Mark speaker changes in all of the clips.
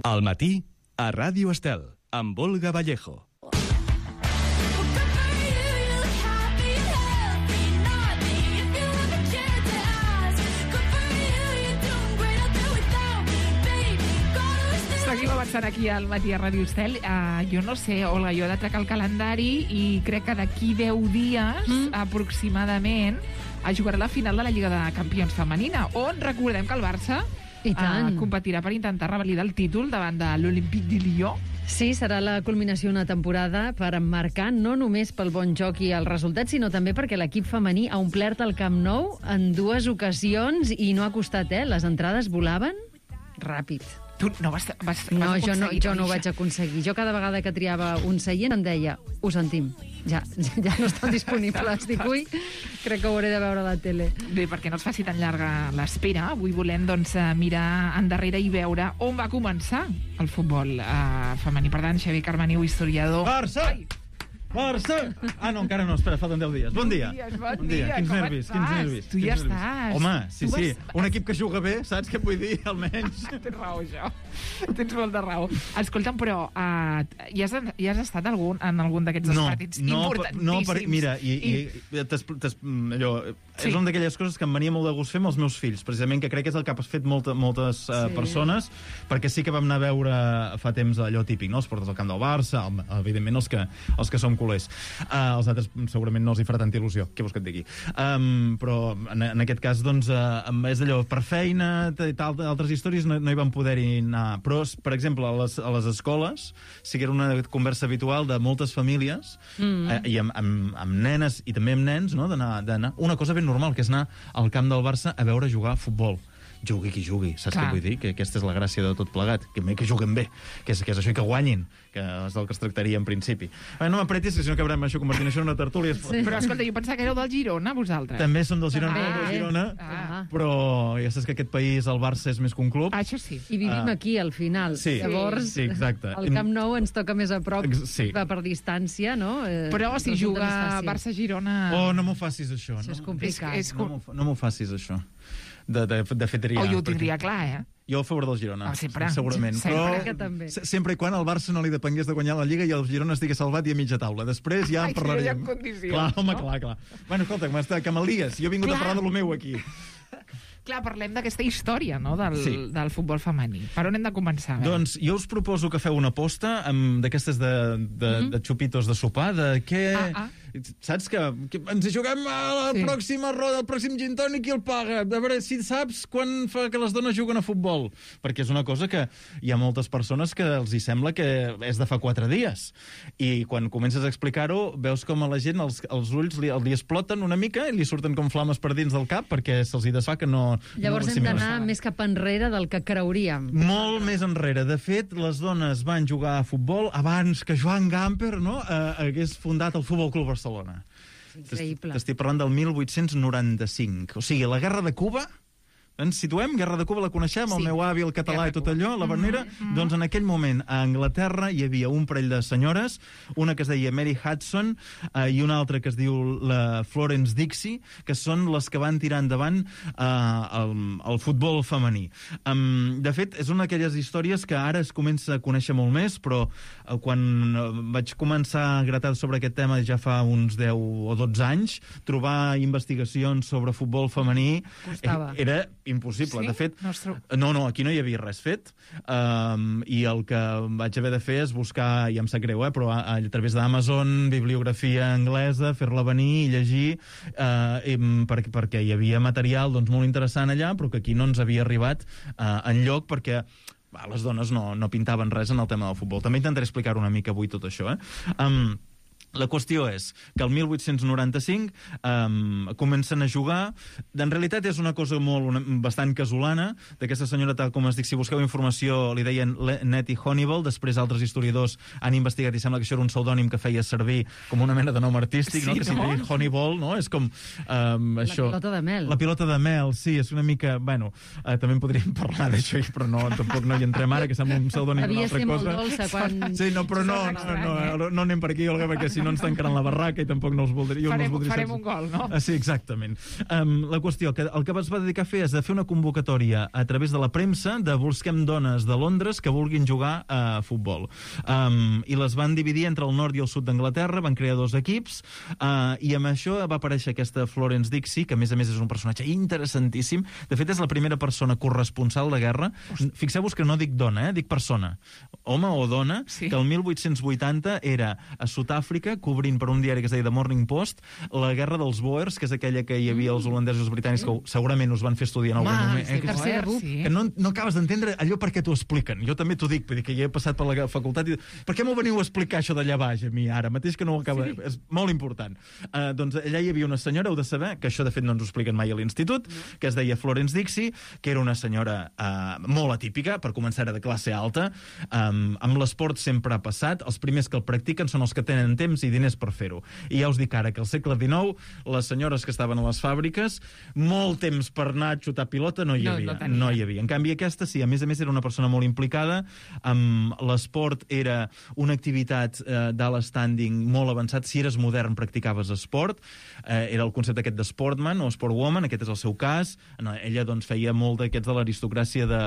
Speaker 1: Al matí, a Ràdio Estel, amb Olga Vallejo.
Speaker 2: Seguim avançant aquí al matí a Ràdio Estel. Jo no sé, Olga, jo he de trecar el calendari i crec que d'aquí 10 dies, aproximadament, jugarà la final de la Lliga de Campions femenina, on recordem que el Barça competirà per intentar revalidar el títol davant de l'Olympique de Lyon.
Speaker 3: Sí, serà la culminació d'una temporada per emmarcar no només pel bon joc i el resultat, sinó també perquè l'equip femení ha omplert el Camp Nou en 2 ocasions i no ha costat, Les entrades volaven ràpid.
Speaker 2: Tu no vas
Speaker 3: No, jo no
Speaker 2: aconseguir
Speaker 3: ho vaig aconseguir. Jo cada vegada que triava un seient em deia, ho sentim, ja no estan disponibles. Dic, ui, crec que ho hauré de veure a la tele.
Speaker 2: Bé, perquè no es faci tan llarga l'espera, avui volem mirar endarrere i veure on va començar el futbol femení. Per tant, Xavier Carmaniu, historiador...
Speaker 4: Barça! Barça! Ah, no, encara no, espera, falten 10 dies. Bon dia.
Speaker 2: Bon dia.
Speaker 4: Quins nervis.
Speaker 2: Tu ja estàs.
Speaker 4: Home, sí. Un equip que juga bé, saps què vull dir, almenys?
Speaker 2: Tens raó, això. Tens molta raó. Escolta'm, però ja has estat en algun d'aquests partits importantíssims?
Speaker 4: No, mira, allò, és una d'aquelles coses que em venia molt de gust fer amb els meus fills, precisament, que crec que és el que has fet moltes persones, perquè sí que vam anar a veure fa temps allò típic, no? Els portes al camp del Barça, evidentment els que som culers. Els altres segurament no els hi farà tanta il·lusió, què vols que et digui? Però en aquest cas, doncs, és d'allò, per feina i tal, altres històries no hi van poder-hi anar. Però, per exemple, a les escoles sí que era una conversa habitual de moltes famílies i amb nenes i també amb nens, no? D'anar una cosa ben normal, que és anar al camp del Barça a veure jugar a futbol. Jugui qui jugui, saps què vull dir? Que aquesta és la gràcia de tot plegat, que juguen bé, que és això i que guanyin, que és del que es tractaria en principi. No m'apretis, que si no acabarem això convertint això en una tertúlia.
Speaker 2: Sí. Però escolta, jo pensava que éreu del Girona, vosaltres.
Speaker 4: També som del Girona, però ja saps que aquest país, el Barça, és més que un club.
Speaker 2: Això sí.
Speaker 3: I vivim aquí, al final.
Speaker 4: Sí.
Speaker 3: Llavors,
Speaker 4: exacte.
Speaker 3: El Camp Nou ens toca més a prop per distància, no?
Speaker 2: Però si juga Barça-Girona...
Speaker 4: Oh, no m'ho facis, això.
Speaker 3: Això és complicat.
Speaker 4: No m'ho facis, això. De fer triar.
Speaker 2: Jo ho tindria clar,
Speaker 4: Jo a favor del Girona, segurament.
Speaker 3: Però
Speaker 4: sempre i quan al Barça no li depengués de guanyar la Lliga i el Girona estigui salvat i a mitja taula. Després ja en parlaríem. Clar. Bueno, escolta, que me'l digues. Jo he vingut a parlar de lo meu aquí.
Speaker 2: Clar, parlem d'aquesta història, no?, del futbol femení. Per on hem de començar?
Speaker 4: Doncs jo us proposo que feu una aposta d'aquestes de xupitos de sopar, de què... Saps que ens hi juguem a la pròxima roda, el pròxim gin tònic i el paga. A veure si saps quan fa que les dones juguen a futbol. Perquè és una cosa que hi ha moltes persones que els hi sembla que és de fa 4 dies. I quan comences a explicar-ho, veus com a la gent els ulls li exploten una mica i li surten com flames per dins del cap perquè se'ls hi desfà que no...
Speaker 3: Llavors hem d'anar més cap enrere del que creuríem.
Speaker 4: Molt més enrere. De fet, les dones van jugar a futbol abans que Joan Gamper, no?, hagués fundat el Futbol Club Barcelona.
Speaker 3: Increïble.
Speaker 4: T'estic parlant del 1895. O sigui, la Guerra de Cuba... Ens situem, Guerra de Cuba la coneixem, el meu avi, el català i tot allò, la Bernera. Doncs en aquell moment a Anglaterra hi havia un parell de senyores, una que es deia Mary Hudson i una altra que es diu la Florence Dixie, que són les que van tirar endavant el futbol femení. De fet, és una d'aquelles històries que ara es comença a conèixer molt més, però quan vaig començar a gratar sobre aquest tema ja fa uns 10 o 12 anys, trobar investigacions sobre futbol femení era impossible. De fet, no, aquí no hi havia res fet, i el que vaig haver de fer és buscar, i em sap greu, però a través d'Amazon, bibliografia anglesa, fer-la venir i llegir, perquè hi havia material molt interessant allà, però que aquí no ens havia arribat enlloc, perquè les dones no pintaven res en el tema del futbol. També intentaré explicar una mica avui tot això. La qüestió és que el 1895 comencen a jugar. En realitat és una cosa bastant casolana d'aquesta senyora, tal com es dic, si busqueu informació li deien Nettie Honeyball, després altres historiadors han investigat i sembla que això era un pseudònim que feia servir com una mena de nom artístic, no? Que si diu Honeyball, no? És com això.
Speaker 3: La pilota de mel.
Speaker 4: La pilota de mel, sí, és una mica... Bueno, també en podríem parlar d'això, però tampoc no hi entrem ara, que sembla un pseudònim d'una altra cosa.
Speaker 3: Havia de ser molt dolça quan...
Speaker 4: Sí, no, però no anem per aquí, Olga, perquè si si no ens tancaran la barraca i tampoc no els voldria...
Speaker 2: Farem un gol, no?
Speaker 4: Sí, exactament. La qüestió, que el que es va dedicar a fer és de fer una convocatòria a través de la premsa de busquem dones de Londres que vulguin jugar a futbol. I les van dividir entre el nord i el sud d'Anglaterra, van crear 2 equips, i amb això va aparèixer aquesta Florence Dixie, que a més és un personatge interessantíssim. De fet, és la primera persona corresponsal de guerra. Fixeu-vos que no dic dona, dic persona. Home o dona, sí. Que el 1880 era a Sud-àfrica, cobrint per un diari que es deia The Morning Post, la guerra dels Boers, que és aquella que hi havia els holandesos i els britànics, que segurament us van fer estudiar en algun moment.
Speaker 2: Sí.
Speaker 4: Que no acabes d'entendre allò per què t'ho expliquen. Jo també t'ho dic, vull dir que ja he passat per la facultat i... Per què m'ho veniu a explicar, això d'allà baix, a mi, ara mateix, que no ho acaba... Sí. És molt important. Doncs allà hi havia una senyora, heu de saber, que això de fet no ens ho expliquen mai a l'institut, que es deia Florence Dixie, que era una senyora molt atípica, per començar era de classe alta, amb l'esport sempre ha passat, els primers que el practiquen són els que tenen temps i diners per fer-ho. I ja us dic ara que al segle XIX, les senyores que estaven a les fàbriques, molt temps per anar a xutar pilota no hi havia. No hi havia. En canvi, aquesta sí, a més era una persona molt implicada, l'esport era una activitat d'alt standing molt avançat, si eres modern practicaves esport, era el concepte aquest d'sportman o sportwoman, aquest és el seu cas. Ella doncs feia molt d'aquests de l'aristocràcia de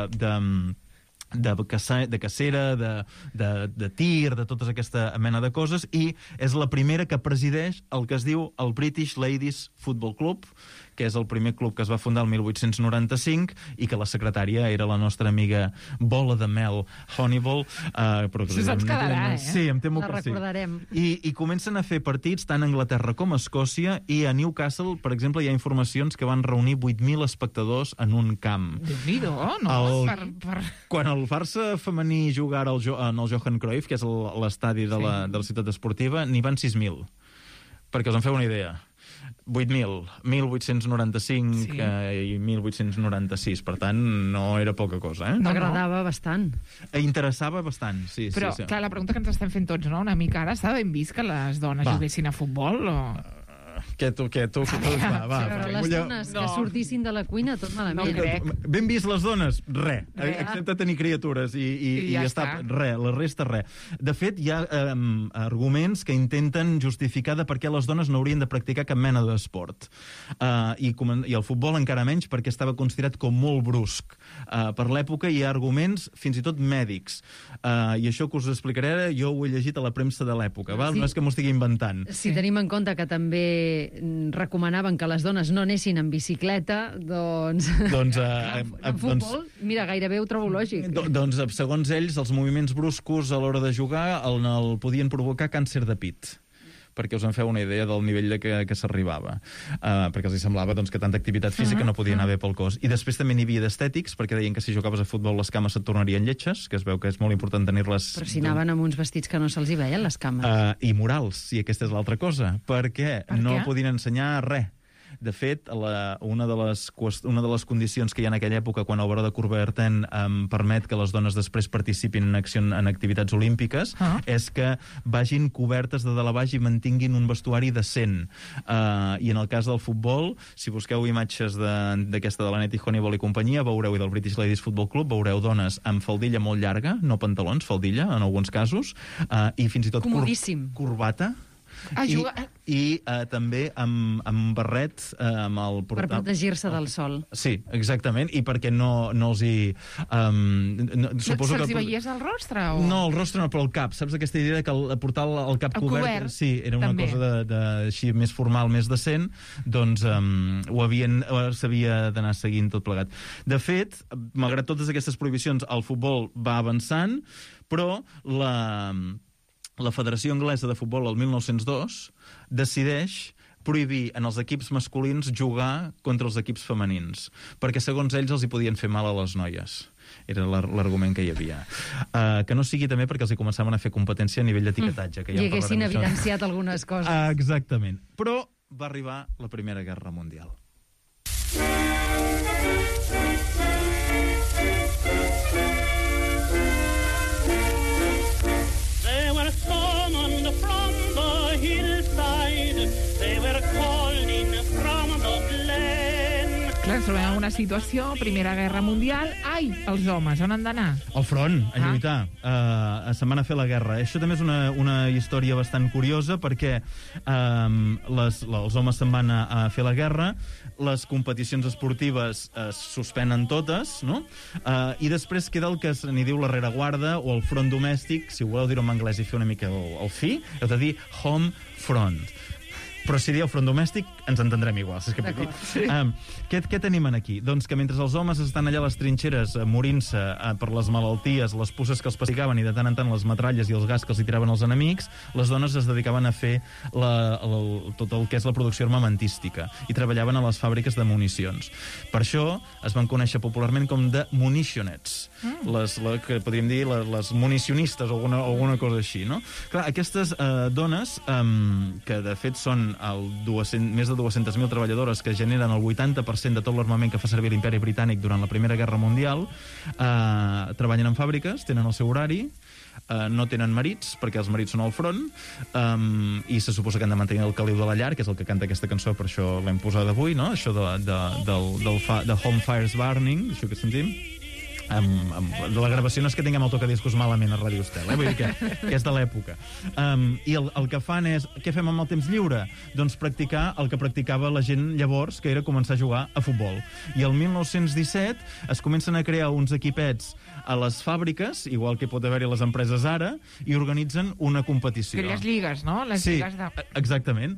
Speaker 4: cacera, de tir, de tota aquesta mena de coses, i és la primera que presideix el que es diu el British Ladies Football Club, que és el primer club que es va fundar el 1895 i que la secretària era la nostra amiga Bola de Mel Honeyball.
Speaker 2: Això se'ns quedarà,
Speaker 4: Sí, em temo
Speaker 3: que sí. La recordarem.
Speaker 4: I comencen a fer partits tant a Anglaterra com a Escòcia, i a Newcastle, per exemple, hi ha informacions que van reunir 8.000 espectadors en un camp.
Speaker 2: Déu-n'hi-do, no?
Speaker 4: Quan el Barça femení jugara en el Johan Cruyff, que és l'estadi de la ciutat esportiva, n'hi van 6.000. Perquè us en feu una idea. 8.000, 1895 i 1896, per tant, no era poca cosa,
Speaker 3: No. Agradava bastant.
Speaker 4: Interessava bastant, sí.
Speaker 2: Però, clar, la pregunta que ens estem fent tots, no?, una mica ara, s'ha ben vist que les dones juguessin a futbol, o...?
Speaker 4: Què tu? Va.
Speaker 3: Però les dones que sortissin de la cuina, tot malament.
Speaker 2: No crec.
Speaker 4: Ben vist les dones? Res. Excepte tenir criatures i ja està. Res, la resta res. De fet, hi ha arguments que intenten justificar de per què les dones no haurien de practicar cap mena d'esport. I el futbol encara menys, perquè estava considerat com molt brusc. Per l'època hi ha arguments fins i tot mèdics. I això que us explicaré ara, jo ho he llegit a la premsa de l'època. No és que m'ho estigui inventant.
Speaker 3: Si tenim en compte que també recomanaven que les dones no anessin en bicicleta, doncs en futbol, mira, gairebé ho trobo lògic.
Speaker 4: Doncs, segons ells, els moviments bruscos a l'hora de jugar el podien provocar càncer de pit, perquè us en feu una idea del nivell que s'arribava. Perquè els semblava que tanta activitat física no podia anar bé pel cos. I després també n'hi havia d'estètics, perquè deien que si jugaves a futbol les cames et tornarien lletges, que es veu que és molt important tenir-les...
Speaker 3: Però si anaven amb uns vestits que no se'ls hi veien, les cames.
Speaker 4: I morals, i aquesta és l'altra cosa, perquè no podien ensenyar res. De fet, una de les condicions que hi ha en aquella època, quan el baró de Coubertin permet que les dones després participin en activitats olímpiques, és que vagin cobertes de dalt a baix i mantinguin un vestuari decent. I en el cas del futbol, si busqueu imatges d'aquesta de la Nettie Honeyball i companyia, veureu, i del British Ladies Football Club, veureu dones amb faldilla molt llarga, no pantalons, faldilla, en alguns casos, i fins i tot corbata. I també amb barret
Speaker 3: per protegir-se del sol.
Speaker 4: Sí, exactament, i perquè no els hi...
Speaker 2: Se'ls hi veies el rostre?
Speaker 4: No, el rostre no, però el cap. Saps aquesta idea que portar el cap cobert? Sí, era una cosa així més formal, més decent, doncs s'havia d'anar seguint tot plegat. De fet, malgrat totes aquestes prohibicions, el futbol va avançant, però la Federació Anglesa de Futbol, el 1902, decideix prohibir en els equips masculins jugar contra els equips femenins, perquè segons ells els hi podien fer mal a les noies. Era l'argument que hi havia. Que no sigui també perquè els hi començaven a fer competència a nivell d'etiquetatge.
Speaker 3: I haguessin evidenciat algunes coses.
Speaker 4: Exactament. Però va arribar la Primera Guerra Mundial.
Speaker 2: ens trobem en una situació, Primera Guerra Mundial, ai, els homes, on han d'anar?
Speaker 4: Al front, a lluitar. Se'n van a fer la guerra. Això també és una història bastant curiosa perquè els homes se'n van a fer la guerra, les competicions esportives es suspenen totes, no? I després queda el que n'hi diu la rereguarda o el front domèstic, si ho voleu dir-ho en anglès i fer una mica el fi, heu de dir home front. Però si dieu front domèstic, ens entendrem igual, saps què vull dir?
Speaker 2: Sí.
Speaker 4: Què tenim aquí? Doncs que mentre els homes estan allà a les trinxeres morint-se per les malalties, les pusses que els pastigaven i de tant en tant les metralles i els gas que els hi tiraven els enemics, les dones es dedicaven a fer tot el que és la producció armamentística i treballaven a les fàbriques de municions. Per això es van conèixer popularment com de munitionettes, que podríem dir les municionistes o alguna cosa així, no? Clar, aquestes dones, que de fet són més de 200.000 treballadores que generen el 80% de tot l'armament que fa servir l'Imperi Britànic durant la Primera Guerra Mundial, treballen en fàbriques, tenen el seu horari, no tenen marits, perquè els marits són al front, i se suposa que han de mantenir el caliu de la llar, que és el que canta aquesta cançó, per això l'hem posada avui, no? Això de Home Fires Burning, això que sentim. La gravació no és que tinguem el tocadiscos malament a Ràdio Estel, vull dir que és de l'època. I el que fan és, què fem amb el temps lliure? Doncs practicar el que practicava la gent llavors, que era començar a jugar a futbol. I el 1917 es comencen a crear uns equipets a les fàbriques, igual que pot haver-hi a les empreses ara, i organitzen una competició.
Speaker 2: Aquelles lligues, no? Les lligues de...
Speaker 4: Exactament.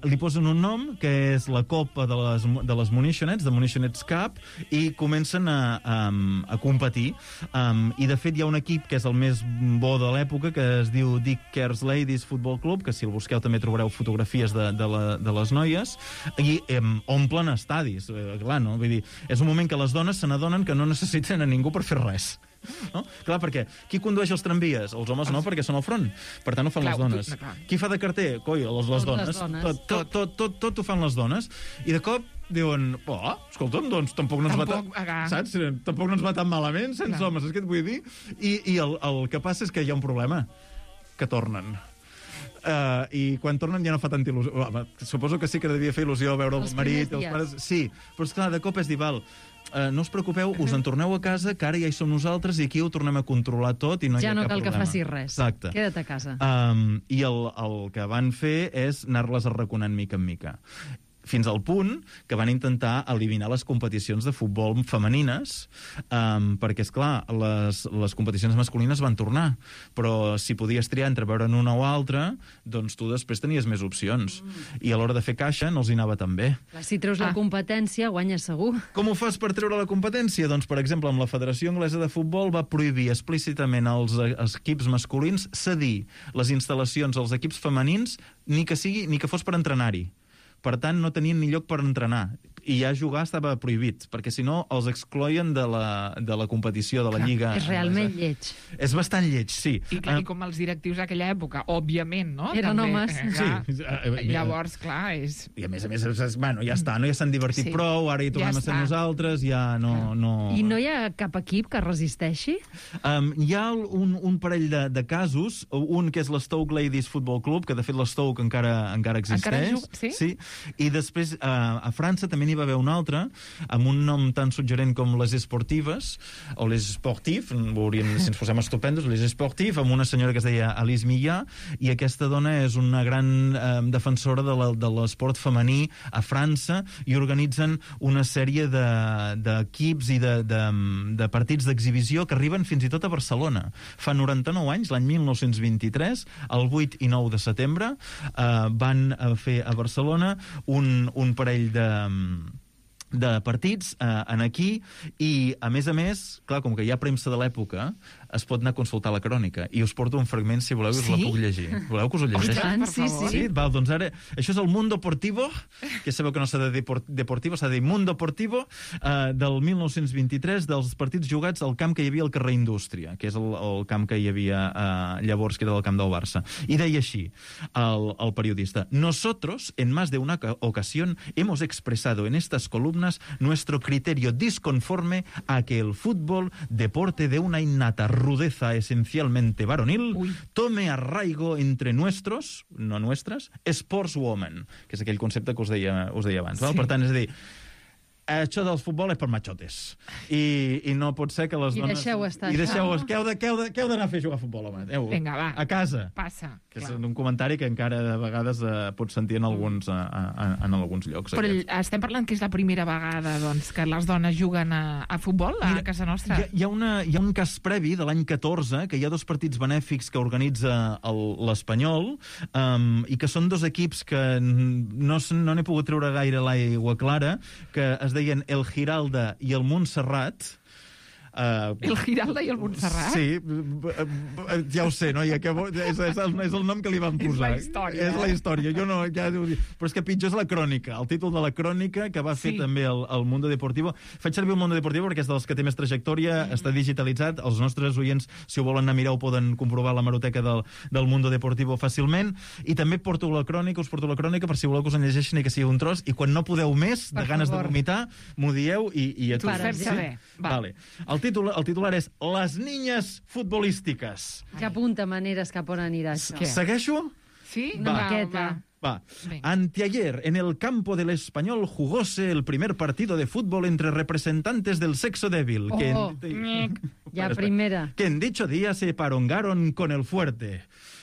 Speaker 4: Li posen un nom, que és la Copa de les Munitionettes, de Munitionettes Cup, i comencen a competir. I, de fet, hi ha un equip que és el més bo de l'època, que es diu Dick Kerr's Ladies Football Club, que si el busqueu també trobareu fotografies de les noies, i omplen estadis. Clar, no? Vull dir, és un moment que les dones se n'adonen que no necessiten a ningú per fer res. No? Clar, perquè qui condueix els tramvies? Els homes no, perquè són al front. Per tant, ho fan les dones. Qui fa de carter? Coi, les dones. Tot ho fan les dones. I de cop diuen, escolta'm, doncs tampoc no ens va saps? Tampoc no ens va tan malament sense homes, és que et vull dir? I el que passa és que hi ha un problema, que tornen. I quan tornen ja no fa tanta il·lusió. Suposo que sí que devia fer il·lusió veure el marit, els pares... Sí, però és clar, de cop és dir, no us preocupeu, us en torneu a casa, que ara ja hi som nosaltres i aquí ho tornem a controlar tot i no hi ha cap problema. Ja no cal
Speaker 3: que facis res.
Speaker 4: Exacte.
Speaker 3: Queda't a casa.
Speaker 4: I el que van fer és anar-les arraconant mica en mica. Fins al punt que van intentar eliminar les competicions de futbol femenines, perquè, esclar, les competicions masculines van tornar, però si podies triar entre veure'n una o altra, doncs tu després tenies més opcions. I a l'hora de fer caixa no els hi anava tan bé.
Speaker 3: Si treus la competència, guanyes segur.
Speaker 4: Com ho fas per treure la competència? Doncs, per exemple, amb la Federació Anglesa de Futbol va prohibir explícitament als equips masculins cedir les instal·lacions als equips femenins, ni que fos per entrenar-hi. Per tant, no tenien ni lloc per entrenar. I ja jugar estava prohibit, perquè si no els excloïen de la competició, de la lliga.
Speaker 3: És realment lleig.
Speaker 4: És bastant lleig, sí.
Speaker 2: I com els directius d'aquella època, òbviament, no?
Speaker 3: Eren homes.
Speaker 4: Sí.
Speaker 2: Llavors, clar, és...
Speaker 4: I a més, bueno, ja està, no? Ja s'han divertit prou, ara hi tornem a ser nosaltres, ja no...
Speaker 3: I no hi ha cap equip que resisteixi?
Speaker 4: Hi ha un parell de casos, un que és l'Stoke Ladies Football Club, que de fet l'Stoke encara existeix. Sí. I després, a França també n'hi va haver un altre, amb un nom tan suggerent com les Esportives, o les Sportives, si ens posem estupendos, les Sportives, amb una senyora que es deia Alice Millà, i aquesta dona és una gran defensora de l'esport femení a França, i organitzen una sèrie d'equips i de partits d'exhibició que arriben fins i tot a Barcelona. Fa 99 anys, l'any 1923, el 8 i 9 de setembre, van fer a Barcelona un parell de partits aquí, i a més, clar, com que hi ha premsa de l'època, es pot anar a consultar la crònica, i us porto un fragment, si voleu, i us la puc llegir. Voleu que us ho llegeixi?
Speaker 3: Sí.
Speaker 4: Doncs ara, això és el Mundo Deportivo, que sabeu que no s'ha de dir Deportivo, s'ha de dir Mundo Deportivo, del 1923, dels partits jugats al camp que hi havia al carrer Indústria, que és el camp que hi havia llavors, que era el camp del Barça. I deia així, el periodista: nosotros, en más de una ocasión, hemos expresado en estas columnas nuestro criterio disconforme a que el fútbol, deporte de una innata rudeza esencialmente varonil, tome arraigo entre nuestros, no nuestras, sportswomen, que és aquell concepte que us deia abans. Sí. Per tant, és a dir, això del futbol és per machotes. I no pot ser que les dones...
Speaker 3: deixeu estar
Speaker 4: I
Speaker 3: això.
Speaker 4: que heu d'anar a fer jugar a futbol, home.
Speaker 2: Vinga, va.
Speaker 4: A casa.
Speaker 2: Passa.
Speaker 4: Que és
Speaker 2: clar.
Speaker 4: un comentari que encara de vegades pots sentir en alguns llocs.
Speaker 2: Però estem parlant que és la primera vegada doncs, que les dones juguen a futbol a casa nostra.
Speaker 4: Hi ha un cas previ de l'any 14, que hi ha 2 partits benèfics que organitza l'Espanyol, i que són 2 equips que no n'he pogut treure gaire l'aigua clara, que es deien el Giralda i el Montserrat.
Speaker 2: El Giralda i el Montserrat?
Speaker 4: Sí, ja ho sé, no? És el nom que li van posar.
Speaker 2: És la història.
Speaker 4: És la història. Jo no, ja ho dic. Però és que pitjor és la crònica, el títol de la crònica que va fer també el Mundo Deportivo. Faig servir el Mundo Deportivo perquè és dels que té més trajectòria, està digitalitzat. Els nostres oients, si ho volen anar a mirar, ho poden comprovar a la hemeroteca del Mundo Deportivo fàcilment. I també us porto la crònica per si voleu que us en llegeixin i que sigui un tros. I quan no podeu més, de ganes de vomitar, m'ho dieu i
Speaker 2: T'ho fem saber.
Speaker 4: Vale. El titular és Les niñas futbolísticas.
Speaker 3: Que apunta maneres cap on anirà això.
Speaker 2: Què?
Speaker 4: Segueixo?
Speaker 2: Sí?
Speaker 3: Una
Speaker 2: Va,
Speaker 3: miqueta.
Speaker 2: va.
Speaker 4: Va.
Speaker 2: Venga.
Speaker 4: Anteayer, en el campo del Español, jugóse el primer partido de fútbol entre representantes del sexo débil.
Speaker 3: Ja, primera.
Speaker 4: Que en dicho día se parongaron con el fuerte.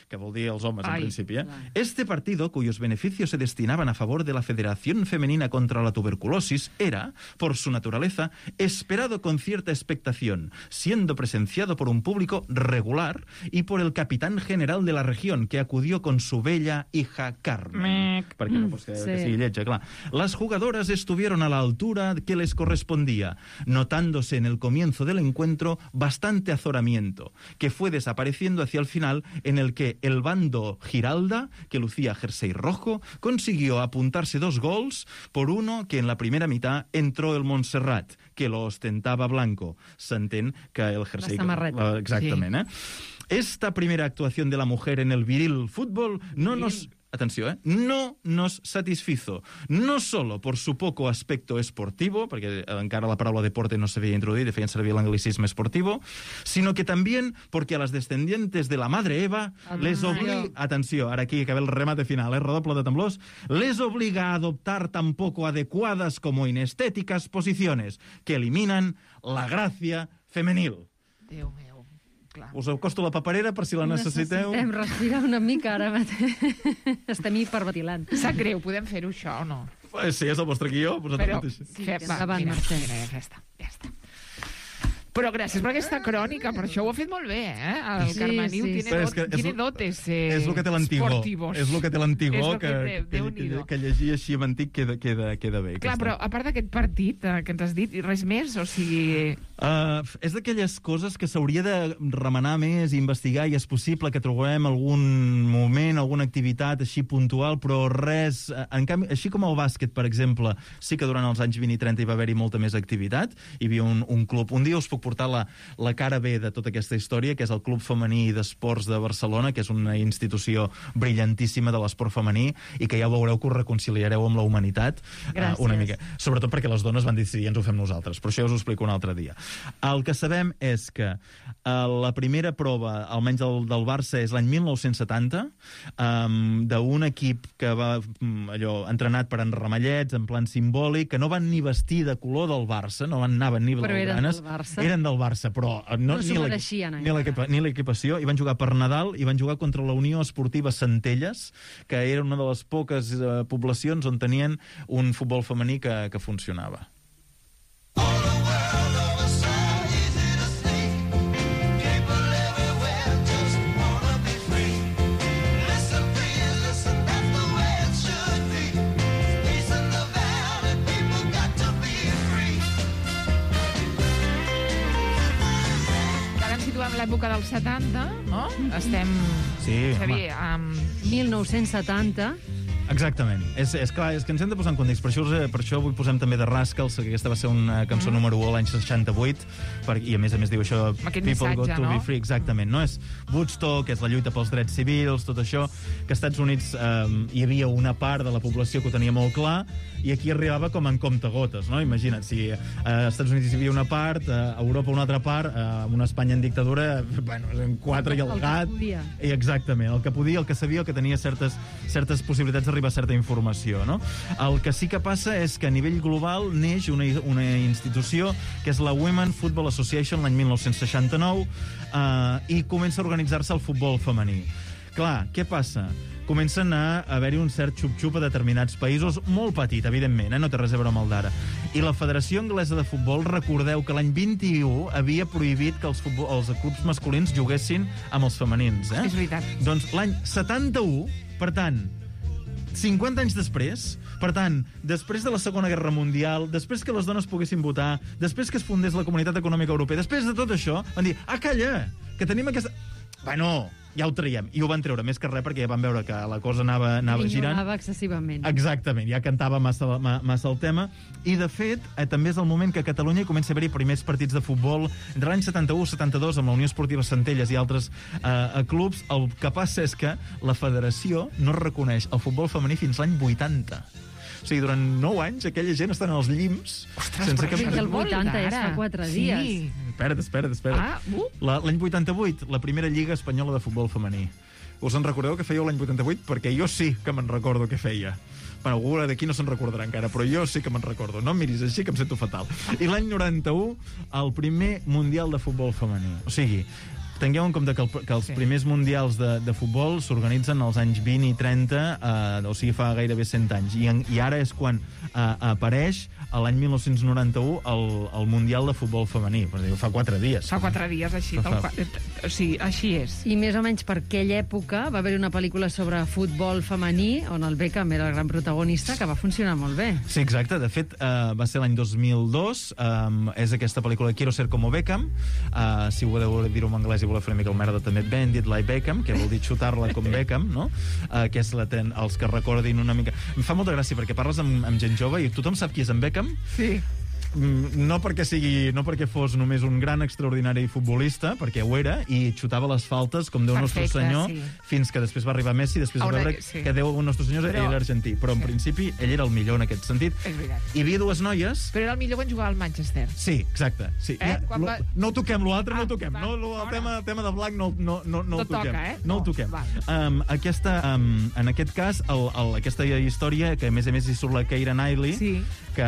Speaker 4: Que vol dir els homes, en principi. Este partido, cuyos beneficios se destinaban a favor de la Federación Femenina contra la Tuberculosis, era, por su naturaleza, esperado con cierta expectación, siendo presenciado por un público regular y por el capitán general de la región, que acudió con su bella hija Carmen. Perquè no pots que sigui lletja, clar. Las jugadoras estuvieron a la altura que les correspondía, notándose en el comienzo del encuentro bastante azoramiento, que fue desapareciendo hacia el final, en el que el bando Giralda, que lucía jersey rojo, consiguió apuntarse 2 gols por uno que en la primera mitad entró el Montserrat, que lo ostentaba blanco. S'entén que el jersey...
Speaker 3: La samarreta.
Speaker 4: Exactament, eh? Esta primera actuación de la mujer en el viril fútbol no nos... Atenció, no nos satisfizo, no solo por su poco aspecto esportivo, perquè encara la paraula deporte no s'havia introduït i feien servir l'anglicisme esportivo, sino que también porque a las descendientes de la madre Eva les obliga... Atenció, ara aquí acaba el remate final, redoble de temblors. Les obliga a adoptar tan poco adecuadas como inestéticas posiciones que eliminan la gracia femenil.
Speaker 2: Déu meu. Clar.
Speaker 4: Us acosto la paperera per si la necessiteu.
Speaker 3: Necessitem respirar una mica ara mateix. Estem hiperventilant.
Speaker 2: Sap greu, podem fer-ho això o no?
Speaker 4: Sí, és el vostre guió.
Speaker 2: Però,
Speaker 3: Sí, endavant, Mercè.
Speaker 2: ja està. Però gràcies per aquesta crònica, per això ho ha fet molt bé, eh? El Carmeniu tiene dotes
Speaker 4: és el que té l'antigó.
Speaker 2: esportivos.
Speaker 4: És el que té l'antigó,
Speaker 2: Déu-n'hi-do.
Speaker 4: que llegir així amb antic queda bé.
Speaker 2: Clar, però a part d'aquest partit que ens has dit, res més? O sigui...
Speaker 4: És d'aquelles coses que s'hauria de remenar més, investigar, i és possible que trobem algun moment, alguna activitat així puntual, però res... En canvi, així com el bàsquet, per exemple, sí que durant els anys 20 i 30 hi va haver-hi molta més activitat. Hi havia un club... Un dia us puc portar la cara B de tota aquesta història, que és el Club Femení d'Esports de Barcelona, que és una institució brillantíssima de l'esport femení i que ja veureu que us reconciliareu amb la humanitat una mica. Sobretot perquè les dones van decidir ens ho fem nosaltres, però això ja us ho explico un altre dia. El que sabem és que la primera prova, almenys del Barça, és l'any 1970, d'un equip que va entrenat per en Ramallets, en plan simbòlic, que no van ni vestir de color del Barça, no anaven ni blaugranes. Eren del Barça, però ni l'equipació, i van jugar per Nadal, i van jugar contra la Unió Esportiva Centelles, que era una de les poques poblacions on tenien un futbol femení que funcionava.
Speaker 2: En l'època dels 70, no? Estem...
Speaker 4: Sí,
Speaker 2: Xavier,
Speaker 3: amb 1970...
Speaker 4: Exactament. És clar, és que ens hem de posar en context. Per això avui posem també The Rascals, que aquesta va ser una cançó número 1 l'any 68, i a més diu això... People got to be free, exactament. No? És Woodstock, és la lluita pels drets civils, tot això, que als Estats Units hi havia una part de la població que ho tenia molt clar, i aquí arribava com en comptagotes, no? Imagina't, si als Estats Units hi havia una part, a Europa una altra part, a una Espanya en dictadura, bueno, en 4 i el gat...
Speaker 3: podia.
Speaker 4: Exactament, el que podia, el que sabia, el que tenia certes possibilitats d'arribar arriba certa informació, no? El que sí que passa és que a nivell global neix una institució que és la Women Football Association l'any 1969 i comença a organitzar-se el futbol femení. Clar, què passa? Comencen a haver-hi un cert xup-xup a determinats països, molt petit, evidentment, no té res a veure amb el d'ara. I la Federació Anglesa de Futbol, recordeu que l'any 21 havia prohibit que els clubs masculins juguessin amb els femenins.
Speaker 2: És veritat.
Speaker 4: Doncs l'any 71, per tant, 50 anys després, per tant, després de la Segona Guerra Mundial, després que les dones poguessin votar, després que es fundés la Comunitat Econòmica Europea, després de tot això, van dir, calla, que tenim aquesta... Bueno, ja ho traiem. I ho van treure, més que res, perquè ja van veure que la cosa anava girant.
Speaker 3: Ignorava excessivament.
Speaker 4: Exactament, ja cantava massa el tema. I, de fet, també és el moment que a Catalunya comença a haver-hi primers partits de futbol. Entre l'any 71 i 72, amb la Unió Esportiva Centelles i altres clubs, el que passa és que la federació no reconeix el futbol femení fins l'any 80. O sigui, durant 9 anys aquella gent està en els llims.
Speaker 2: Ostres,
Speaker 4: sense
Speaker 2: però
Speaker 3: que el 80 és fa 4 dies.
Speaker 2: Sí.
Speaker 4: Espera't. L'any 88, la primera Lliga Espanyola de Futbol Femení. Us en recordeu que fèieu l'any 88? Perquè jo sí que me'n recordo què feia. Bueno, algú d'aquí no se'n recordarà encara, però jo sí que me'n recordo. No em miris així, que em sento fatal. I l'any 91, el primer Mundial de Futbol Femení. O sigui, tingueu en compte que els primers mundials de futbol s'organitzen als anys 20 i 30, o sigui, fa gairebé 100 anys. I ara és quan apareix, l'any 1991, el Mundial de Futbol Femení. Fa 4 dies.
Speaker 2: Fa 4 dies, així. O sigui, així és.
Speaker 3: I més o menys per aquella època va haver una pel·lícula sobre futbol femení, on el Beckham era el gran protagonista, que va funcionar molt bé.
Speaker 4: Sí, exacte. De fet, va ser l'any 2002. És aquesta pel·lícula Quiero ser como Beckham. Si voleu dir-ho en anglès i voleu fer una mica el merda, també Bend It Like Beckham, que vol dir xutar-la com Beckham, no? Que és els que recordin una mica... Em fa molta gràcia, perquè parles amb gent jove i tothom sap qui és en Beckham.
Speaker 2: Sí.
Speaker 4: No perquè fos només un gran extraordinari futbolista, perquè ho era, i xutava les faltes com Déu Nostre Senyor, fins que després va arribar Messi, després va veure que Déu Nostre Senyor era argentí. Però en principi ell era el millor en aquest sentit. Hi havia 2 noies...
Speaker 2: Però era el millor quan jugava al Manchester.
Speaker 4: Sí, exacte. Sí. No ho toquem, l'altre no ho toquem. El tema de Black no ho toquem. No el toquem. En aquest cas, aquesta història, que a més hi surt la Keira Knightley, que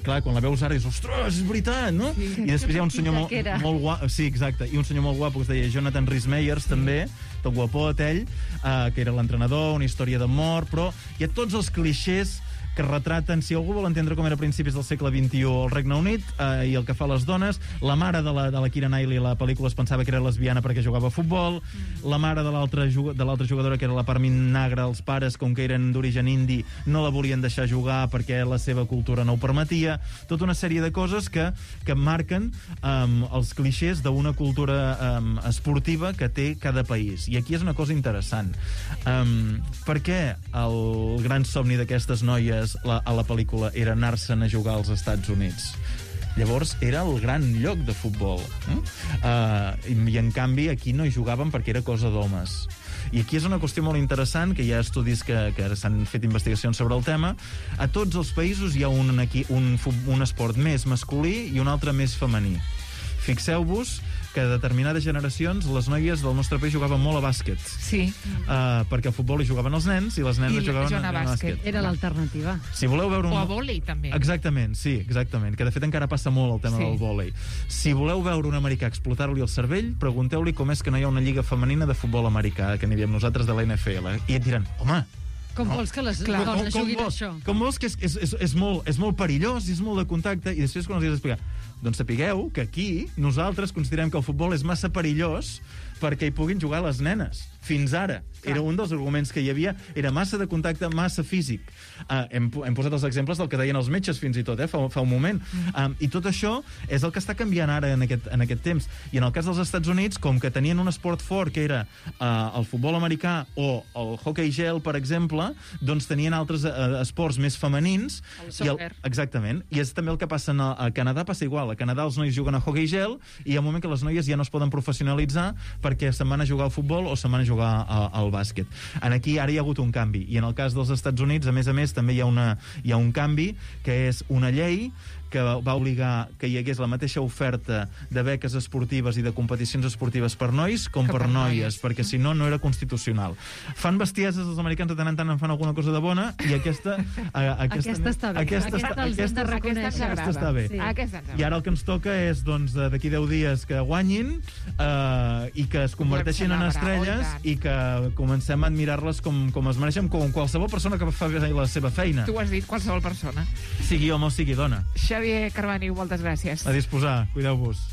Speaker 4: clar, quan la veus ara és, ostres, és veritat, no?
Speaker 3: Sí.
Speaker 4: I després hi ha un senyor molt guapo, sí, exacte, i un senyor molt guapo que es deia Jonathan Rhys-Meyers, també, tot guapot ell, que era l'entrenador, una història d'amor, però hi ha tots els clixés que retraten, si algú vol entendre com era a principis del segle XXI el Regne Unit i el que fa les dones, la mare de la Keira Knightley a la pel·lícula es pensava que era lesbiana perquè jugava a futbol, la mare de l'altra jugadora, que era la Parmin Nagra, els pares, com que eren d'origen indi, no la volien deixar jugar perquè la seva cultura no ho permetia, tota una sèrie de coses que marquen els clixés d'una cultura esportiva que té cada país. I aquí és una cosa interessant. Per què el gran somni d'aquestes noies a la pel·lícula era anar-se'n a jugar als Estats Units? Llavors era el gran lloc de futbol. I en canvi aquí no hi jugaven perquè era cosa d'homes. I aquí és una qüestió molt interessant, que hi ha estudis que s'han fet investigacions sobre el tema. A tots els països hi ha un esport més masculí i un altre més femení. Fixeu-vos que a determinades generacions les noies del nostre país jugaven molt a bàsquet.
Speaker 2: Sí.
Speaker 4: Perquè al futbol hi jugaven els nens i les nenes jugaven a bàsquet.
Speaker 3: Era l'alternativa.
Speaker 4: Si voleu veure
Speaker 2: o a vòlei, també.
Speaker 4: Exactament, sí, exactament. Que de fet encara passa molt el tema del vòlei. Si voleu veure un americà explotar-li el cervell, pregunteu-li com és que no hi ha una lliga femenina de futbol americà, que n'hi diem nosaltres de la NFL. I et diran, home,
Speaker 3: com vols que les dones juguin això?
Speaker 4: Com vols que és molt perillós, és molt de contacte, i després quan els has d'explicar, doncs sapigueu que aquí nosaltres considerem que el futbol és massa perillós perquè hi puguin jugar les nenes. Fins ara. Era un dels arguments que hi havia. Era massa de contacte, massa físic. Hem posat els exemples del que deien els metges fins i tot, fa un moment. I tot això és el que està canviant ara en aquest temps. I en el cas dels Estats Units, com que tenien un esport fort, que era el futbol americà o el hockey gel, per exemple, doncs tenien altres esports més femenins.
Speaker 2: El soccer.
Speaker 4: Exactament. I és també el que passa a Canadà, passa igual. A Canadà els nois juguen a hockey gel i hi ha un moment que les noies ja no es poden professionalitzar perquè se'n van a jugar al futbol o se'n van a jugar al bàsquet. Aquí ara hi ha hagut un canvi. I en el cas dels Estats Units, a més, també hi ha un canvi, que és una llei que va obligar que hi hagués la mateixa oferta de beques esportives i de competicions esportives per nois com per noies, perquè si no, no era constitucional. Fan bestieses, els americans de tant en tant en fan alguna cosa de bona, i aquesta
Speaker 3: està bé. Aquesta
Speaker 4: està bé. I ara el que ens toca és, doncs, d'aquí 10 dies que guanyin i que es converteixin en estrelles i que comencem a admirar-les com es mereixen, com qualsevol persona que fa bé la seva feina.
Speaker 2: Tu ho has dit, qualsevol persona.
Speaker 4: Sigui home o sigui dona.
Speaker 2: Xavier Carbaniu, moltes gràcies.
Speaker 4: A disposar, cuideu-vos.